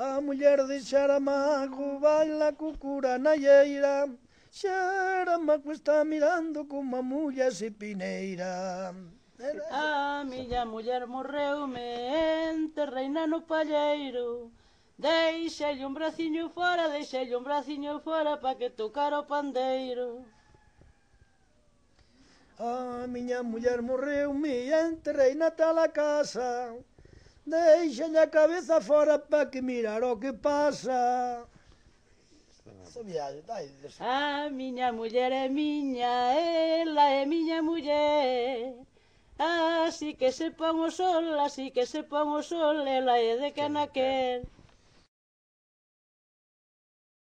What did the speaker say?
A muller de Xaramago baila cu cura na lleira, Xaramago está mirando como a muller se pineira. A miña muller morreume, enterreina no palleiro, deixelle un braciño fora pa que tocara o pandeiro. A miña muller morreume, enterrei na tala casa, deixalle a cabeza fora pa que mirar o que pasa. A miña muller é miña, ela é miña muller. Así que se pon o sol, ela é de que naquel.